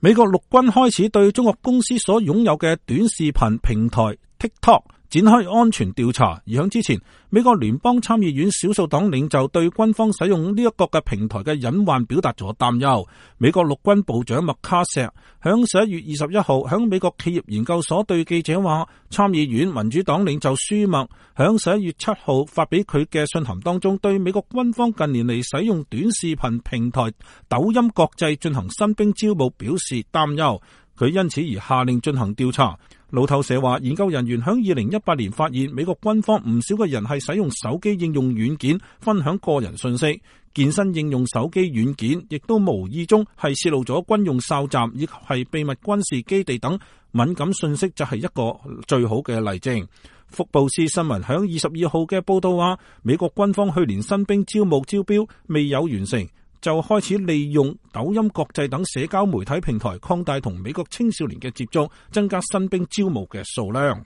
美國陸軍開始對中國公司所擁有嘅短視頻平台 TikTok 展開安全調查，而響之前，美國聯邦參議院少數黨領袖對軍方使用呢一個嘅平台嘅隱患表達咗擔憂。美國陸軍部長麥卡錫響11月21號響美國企業研究所對記者話，參議院民主黨領袖舒默響11月7號發俾佢嘅信函當中，對美國軍方近年嚟使用短視頻平台抖音國際進行新兵招募表示擔憂，佢因此而下令進行調查。路透社話，研究人員響2018年發現，美國軍方唔少嘅人係使用手機應用軟件分享個人信息，健身應用手機軟件亦都無意中係泄露咗軍用哨站以及係秘密軍事基地等敏感信息，就係一個最好嘅例證。福布斯新聞響22號嘅報道話，美國軍方去年新兵招募招標未有完成，就開始利用抖音國際等社交媒體平台擴大同美國青少年嘅接觸，增加新兵招募嘅數量。